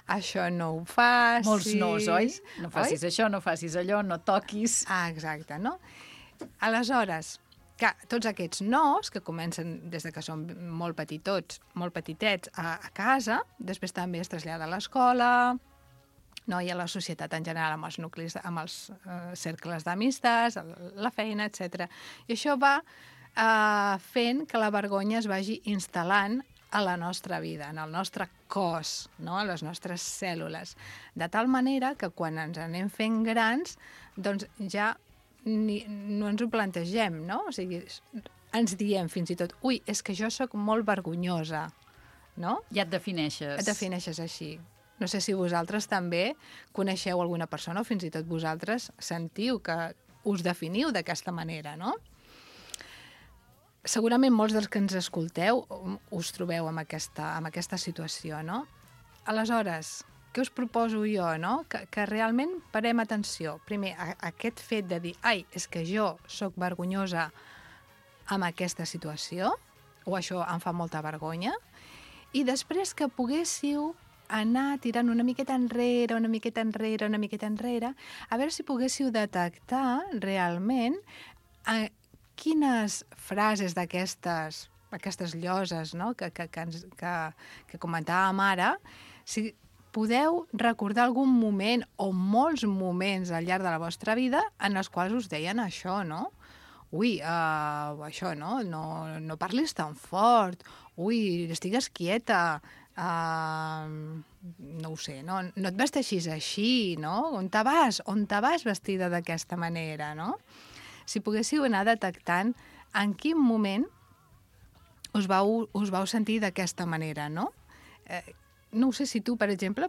això no ho facis... Molts nos, oi? No facis això, no facis allò, no toquis... Exacte, no? Aleshores, clar, tots aquests nos, que comencen des de que som molt petitets a casa, després també es trasllada a l'escola, no? I a la societat en general, amb els nuclis, amb els cercles d'amistats, la feina, etc. I això va fent que la vergonya es vagi instal·lant a la nostra vida, en el nostre cos, no? A les nostres cèl·lules. De tal manera que quan ens anem fent grans, doncs ja no ens ho plantegem, no? O sigui, ens diem fins i tot, ui, és que jo sóc molt vergonyosa, no? Ja et defineixes. Et defineixes així. No sé si vosaltres també coneixeu alguna persona o fins i tot vosaltres sentiu que us definiu d'aquesta manera, no? Segurament molts dels que ens escolteu us trobeu amb aquesta situació, no? Aleshores, què us proposo jo, no? Que realment parem atenció. Primer, aquest fet de dir, ai, és que jo sóc vergonyosa amb aquesta situació, o això em fa molta vergonya, i després que poguéssiu anar tirant una miqueta enrere, a veure si poguéssiu detectar realment quines frases d'aquestes lloses, no? que comentàvem ara, si podeu recordar algun moment o molts moments al llarg de la vostra vida en els quals us deien això, no? Ui, això, no? No parlis tan fort. Ui, estigues quieta. No ho sé, no et vesteixis així, no? On te vas vestida d'aquesta manera, no? Si poguéssiu anar detectant en quin moment us vau sentir d'aquesta manera, no? No ho sé si tu, per exemple,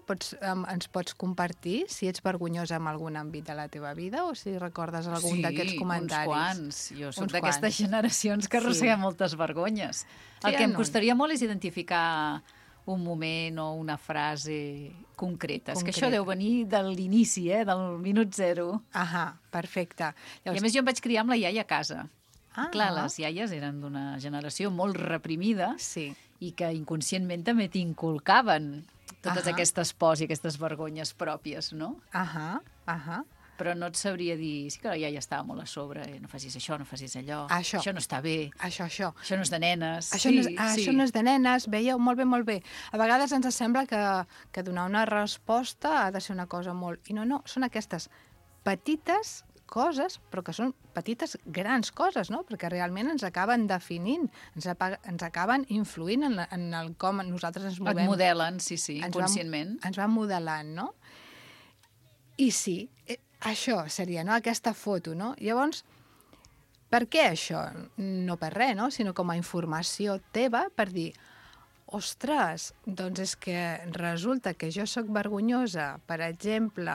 ens pots compartir si ets vergonyosa en algun àmbit de la teva vida o si recordes algun d'aquests comentaris. Sí, uns quants. Jo soc d'aquestes generacions que arrosseguem moltes vergonyes. El que em costaria molt és identificar un moment o una frase concreta. És que això deu venir de l'inici, del minut zero. Perfecte. I a més jo em vaig criar amb la iaia a casa. Clar, les iaies eren d'una generació molt reprimida i que inconscientment també t'inculcaven totes aquestes pors i aquestes vergonyes pròpies, no? Però no et sabria dir... Sí que la iaia estava molt a sobre. No facis això, no facis allò. Això no està bé. Això no és de nenes. Això no és de nenes. Veieu? Molt bé. A vegades ens sembla que donar una resposta ha de ser una cosa molt... I no, són aquestes petites coses, però que són petites grans coses, no? Perquè realment ens acaben definint, ens acaben influint en el com nosaltres ens movem. Et modelen, sí, inconscientment. Ens van modelant, no? I sí, això seria, no?, aquesta foto, no? Llavors, per què això? No per res, no?, sinó com a informació teva per dir, ostres, doncs és que resulta que jo sóc vergonyosa, per exemple,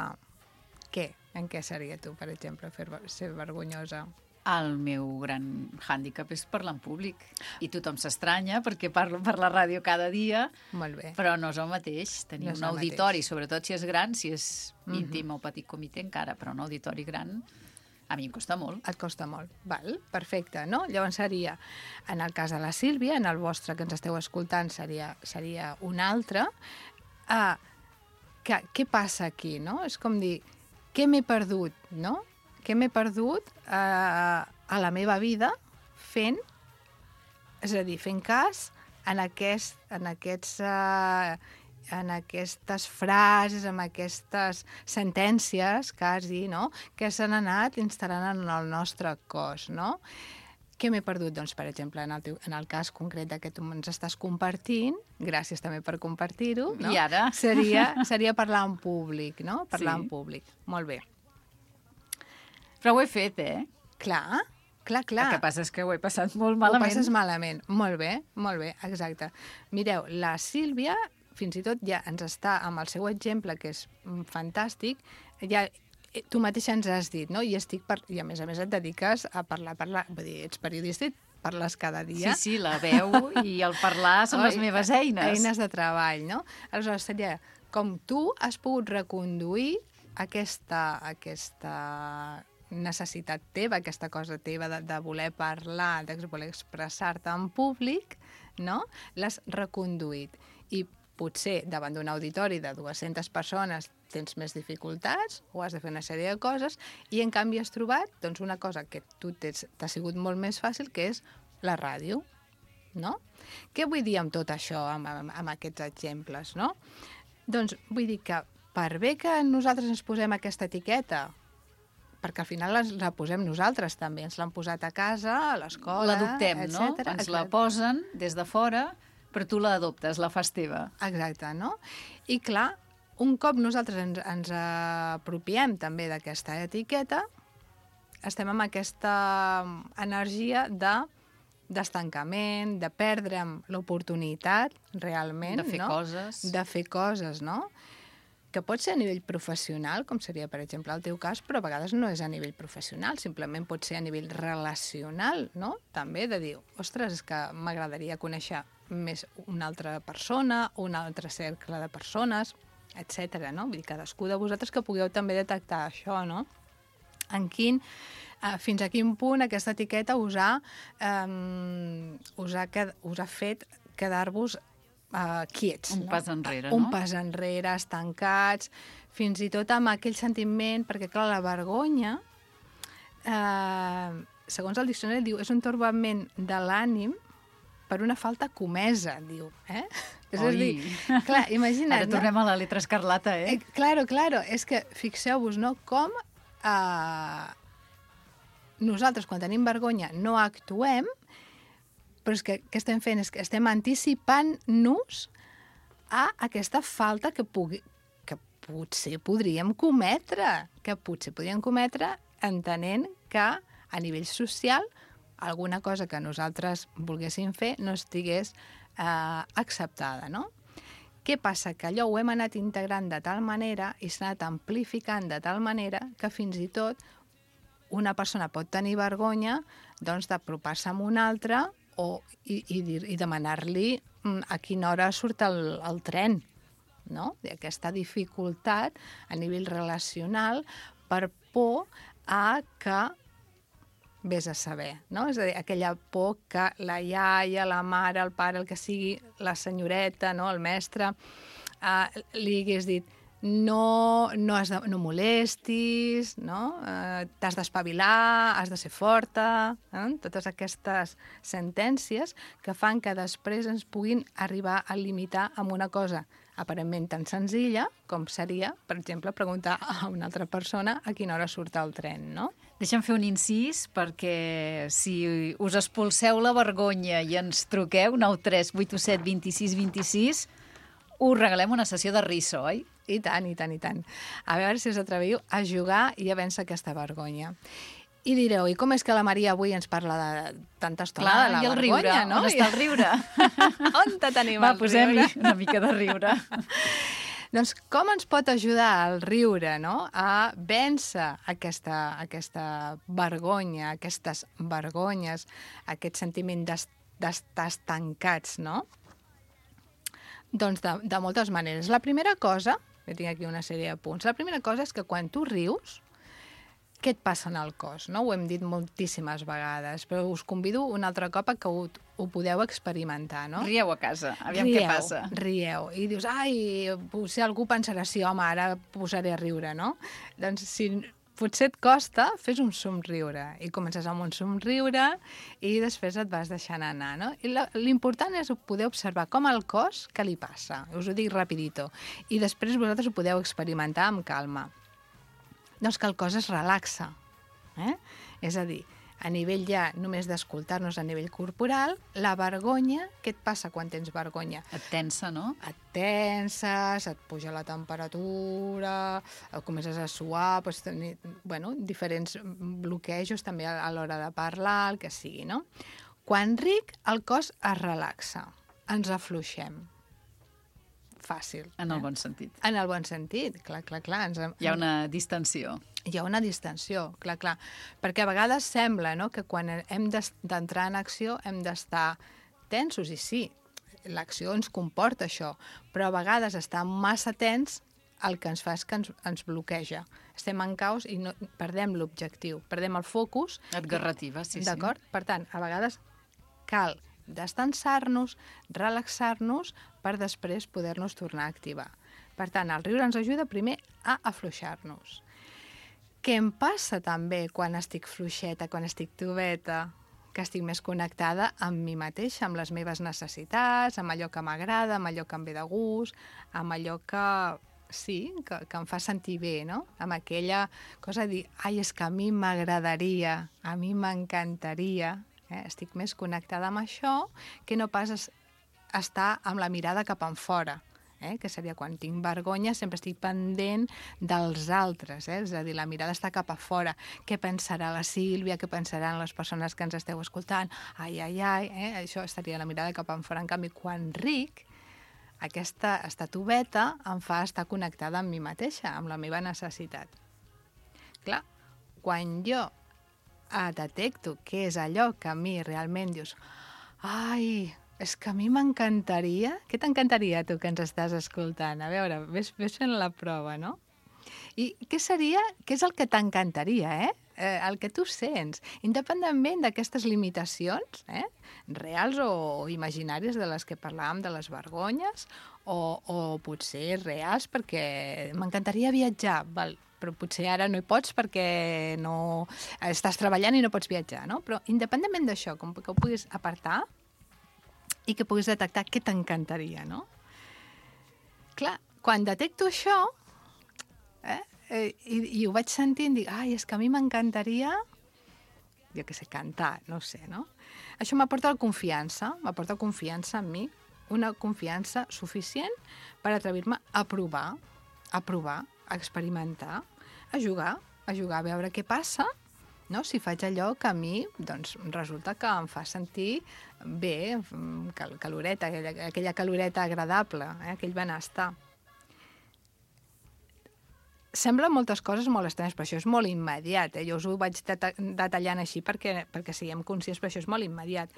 què? En què seria tu, per exemple, ser vergonyosa? El meu gran hàndicap és parlar en públic. I tothom s'estranya perquè parlo per la ràdio cada dia, Molt bé. però no és el mateix. Tenir No és un el auditori, mateix. sobretot si és gran, si és íntim o petit comitè encara, però un auditori gran a mi em costa molt. Et costa molt. Val, perfecte, no? Llavors seria, en el cas de la Sílvia, en el vostre que ens esteu escoltant seria un altre. Què passa aquí, no? És com dir, què m'he perdut, no? Què m'he perdut a la meva vida fent, és a dir, fent cas en aquestes frases, en aquestes sentències, quasi, no?, que s'han anat instal·lant en el nostre cos, no? Què m'he perdut? Doncs, per exemple, en el cas concret que tu ens estàs compartint, gràcies també per compartir-ho, no? I ara? Seria parlar en públic, no? Parlar Sí. en públic. Molt bé. Però ho he fet, eh? Clar. El que passa és que ho he passat molt malament. Ho passes malament. Molt bé, exacte. Mireu, la Sílvia, fins i tot ja ens està amb el seu exemple, que és fantàstic, ja tu mateixa ens has dit, no? I a més et dediques a parlar, vull dir, ets periodista i parles cada dia. Sí, la veu i el parlar són les meves eines. Eines de treball, no? Aleshores, seria com tu has pogut reconduir aquesta necessitat teva, aquesta cosa teva de voler parlar, de voler expressar-te en públic, no? L'has reconduït. I potser davant d'un auditori de 200 persones tens més dificultats o has de fer una sèrie de coses i en canvi has trobat doncs, una cosa que tu t'ha sigut molt més fàcil, que és la ràdio, no? Què vull dir amb tot això, amb aquests exemples, no? Doncs vull dir que per bé que nosaltres ens posem aquesta etiqueta, perquè al final la posem nosaltres també, ens l'han posat a casa, a l'escola, l'adoptem, no? Ens la posen des de fora, però tu l'adoptes, la fas teva. Exacte, no? I clar, un cop nosaltres ens apropiem també d'aquesta etiqueta, estem amb aquesta energia d'estancament, de perdre'm l'oportunitat realment, de fer coses. De fer coses, no? Que pot ser a nivell professional, com seria, per exemple, el teu cas, però a vegades no és a nivell professional, simplement pot ser a nivell relacional, no? També de dir, ostres, és que m'agradaria conèixer més una altra persona, un altre cercle de persones, etc. No? Vull dir, cadascú de vosaltres que pugueu també detectar això, no? Fins a quin punt aquesta etiqueta us ha fet quedar-vos quiets. Un pas enrere, Un no? pas enrere, estancats, fins i tot amb aquell sentiment, perquè clar, la vergonya, segons el diccionari, diu, és un torbament de l'ànim per una falta comesa, diu. És a dir, clar, imagina't. Ara tornem a la letra escarlata, eh? Claro, és que fixeu-vos, no?, com nosaltres, quan tenim vergonya, no actuem, però és que què estem fent? És que estem anticipant-nos a aquesta falta que potser podríem cometre, entenent que a nivell social alguna cosa que nosaltres volguéssim fer no estigués acceptada, no? Què passa? Que allò ho hem anat integrant de tal manera i s'ha anat amplificant de tal manera que fins i tot una persona pot tenir vergonya doncs, d'apropar-se a una altra i demanar-li a quina hora surt el tren, no? Aquesta dificultat a nivell relacional per por a que vés a saber, no? És a dir, aquella por que la iaia, la mare, el pare, el que sigui, la senyoreta, no? El mestre, li hagués dit no molestis, no? T'has d'espavilar, has de ser forta, totes aquestes sentències que fan que després ens puguin arribar a limitar amb una cosa aparentment tan senzilla com seria, per exemple, preguntar a una altra persona a quina hora surt el tren, no? Deixa'm fer un incís, perquè si us expulseu la vergonya i ens truqueu, 93 827 26 26, us regalem una sessió de riso, oi? I tant, i tant, i tant. A veure si us atreviu a jugar i a vèncer aquesta vergonya. I direu, i com és que la Maria avui ens parla de tanta estona de la vergonya, riure, no? On està el riure? On te tenim Va, el riure? posem-hi una mica de riure. Doncs com ens pot ajudar el riure, no?, a vèncer aquesta vergonya, aquestes vergonyes, aquest sentiment d'estar estancats, no? Doncs de moltes maneres. La primera cosa, que tinc aquí una sèrie de punts, la primera cosa és que quan tu rius, què et passa en el cos? No? Ho hem dit moltíssimes vegades, però us convido un altre cop a que ho podeu experimentar. No? Rieu a casa, aviam què passa. Rieu. I dius, ai, potser algú pensarà, sí, home, ara posaré a riure, no? Doncs si potser et costa, fes un somriure. I comences amb un somriure i després et vas deixant anar, no? I l'important és poder observar com el cos, què li passa. Us ho dic rapidito. I després vosaltres ho podeu experimentar amb calma. Doncs que el cos es relaxa. És a dir, a nivell ja només d'escoltar-nos a nivell corporal, la vergonya, què et passa quan tens vergonya? Et tensa, no? Et tenses, et puja la temperatura, comences a suar, doncs, diferents bloquejos també a l'hora de parlar, el que sigui, no? Quan ric, el cos es relaxa, ens afluixem. Fàcil. En el bon sentit. En el bon sentit, clar. Hi ha una distensió. Hi ha una distensió, clar. Perquè a vegades sembla, no?, que quan hem d'entrar en acció hem d'estar tensos, i sí, l'acció ens comporta això, però a vegades estar massa tens el que ens fa és que ens bloqueja. Estem en caos i perdem l'objectiu, perdem el focus. Et garrativa, sí. D'acord? Per tant, a vegades cal destensar-nos, relaxar-nos, per després poder-nos tornar a activar. Per tant, el riure ens ajuda primer a afluixar-nos. Què em passa també quan estic fluixeta, quan estic tubeta? Que estic més connectada amb mi mateixa, amb les meves necessitats, amb allò que m'agrada, amb allò que em ve de gust, amb allò que em fa sentir bé, no? Amb aquella cosa de dir, ai, és que a mi m'agradaria, a mi m'encantaria. Estic més connectada amb això que no pas estar amb la mirada cap enfora, que seria quan tinc vergonya, sempre estic pendent dels altres, és a dir, la mirada està cap a fora. Què pensarà la Sílvia, què pensaran les persones que ens esteu escoltant? Ai, això estaria la mirada cap enfora. En canvi, quan ric, aquesta estatubeta em fa estar connectada amb mi mateixa, amb la meva necessitat. Clar, quan jo detecto què és allò que a mi realment dius, ai, és que a mi m'encantaria... Què t'encantaria, tu, que ens estàs escoltant? A veure, ves fent la prova, no? I què és el que t'encantaria, el que tu sents, independentment d'aquestes limitacions, reals o imaginàries de les que parlàvem, de les vergonyes, o potser reals perquè m'encantaria viatjar, però potser ara no hi pots perquè no estàs treballant i no pots viatjar, no? Però independentment d'això, com que ho puguis apartar i que puguis detectar què t'encantaria, no? Clar, quan detecto això, i ho vaig sentint, dic, ai, és que a mi m'encantaria, jo què sé, cantar, no sé, no? Això m'aporta confiança en mi, una confiança suficient per atrevir-me a provar, a experimentar, a jugar, a veure què passa, no? Si faig allò que a mi doncs, resulta que em fa sentir bé, caloreta, aquella caloreta agradable, aquell benestar. Semblen moltes coses molt estranyes, però això és molt immediat. Jo us ho vaig detallant així perquè siguem conscients, però això és molt immediat.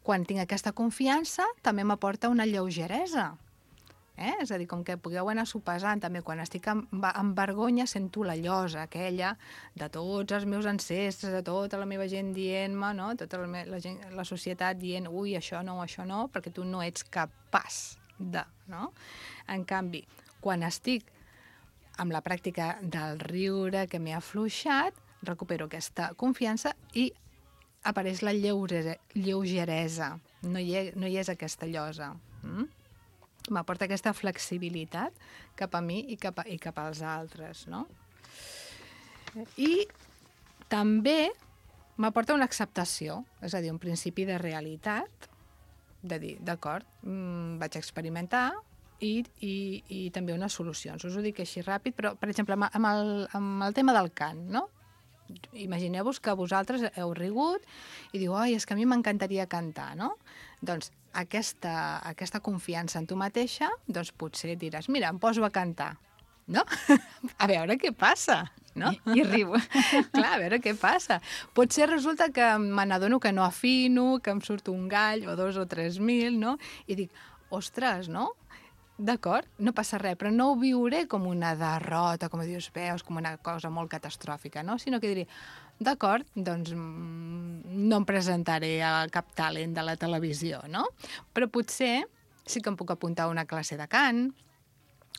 Quan tinc aquesta confiança, també m'aporta una lleugeresa. És a dir, com que pugueu anar sopesant, també quan estic amb vergonya sento la llosa aquella de tots els meus ancestres, de tota la meva gent dient-me, no? Tota la societat dient, ui, això no, perquè tu no ets capaç de, no? En canvi, quan estic amb la pràctica del riure que m'he afluixat, recupero aquesta confiança i apareix la lleugeresa. No hi és aquesta llosa. M'aporta aquesta flexibilitat cap a mi i cap als altres, no? I també m'aporta una acceptació, és a dir, un principi de realitat, de dir, d'acord, vaig experimentar i també unes solucions. Us ho dic així ràpid, però, per exemple, amb el tema del cant, no? Imagineu-vos que vosaltres heu rigut i diu, ai, és que a mi m'encantaria cantar, no? Doncs aquesta confiança en tu mateixa, doncs potser diràs, mira, em poso a cantar, no? A veure què passa, no? I riu. Clar, a veure què passa. Potser resulta que me n'adono que no afino, que em surt un gall o 2 o 3.000, no? I dic, ostres, no? D'acord, no passa res, però no ho viuré com una derrota, com dius, veus, com una cosa molt catastròfica, no? Sinó que diré, d'acord, doncs no em presentaré a cap talent de la televisió, no? Però potser sí que em puc apuntar a una classe de cant,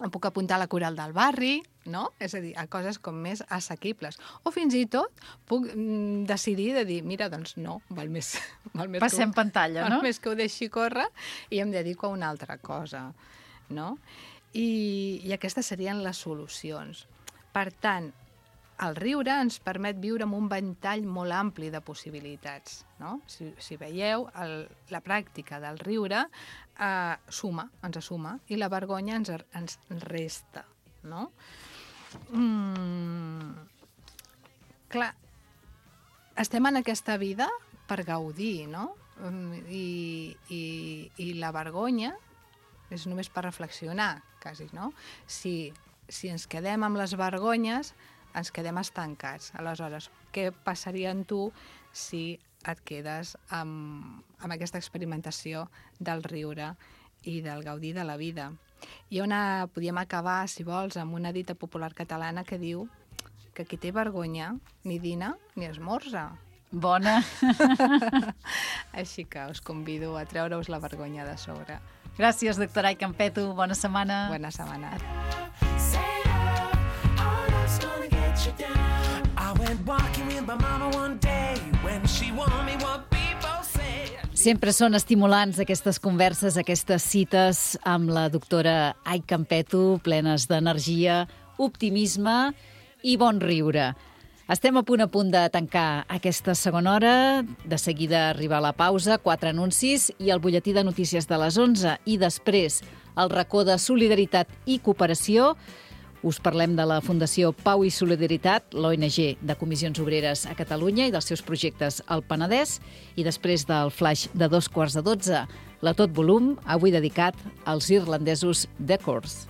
em puc apuntar a la coral del barri, no? És a dir, a coses com més assequibles. O fins i tot puc decidir de dir, mira, doncs no, val més Passem pantalla, no? Val més que ho deixi córrer i em dedico a una altra cosa, no? I aquestes serien les solucions. Per tant, el riure ens permet viure amb un ventall molt ampli de possibilitats, no? Si veieu, la pràctica del riure ens suma, i la vergonya ens resta, no? Clar, estem en aquesta vida per gaudir, no? I la vergonya és només per reflexionar, quasi, no? Si ens quedem amb les vergonyes, ens quedem estancats. Aleshores, què passaria en tu si et quedes amb aquesta experimentació del riure i del gaudir de la vida? I podíem acabar, si vols, amb una dita popular catalana que diu que qui té vergonya ni dina ni esmorza. Bona. Així que us convido a treure-us la vergonya de sobre. Gràcies, doctora Ai Campeto. Bona setmana. Bona setmana. Sempre són estimulants aquestes converses, aquestes cites amb la doctora Ai Campeto, plenes d'energia, optimisme i bon riure. Estem a punt de tancar aquesta segona hora. De seguida arriba la pausa, 4 anuncis i el butlletí de notícies de les 11. I després, el racó de solidaritat i cooperació. Us parlem de la Fundació Pau i Solidaritat, l'ONG de Comissions Obreres a Catalunya i dels seus projectes al Penedès. I després del flash de 12:15, la Tot Volum, avui dedicat als irlandesos The Corrs.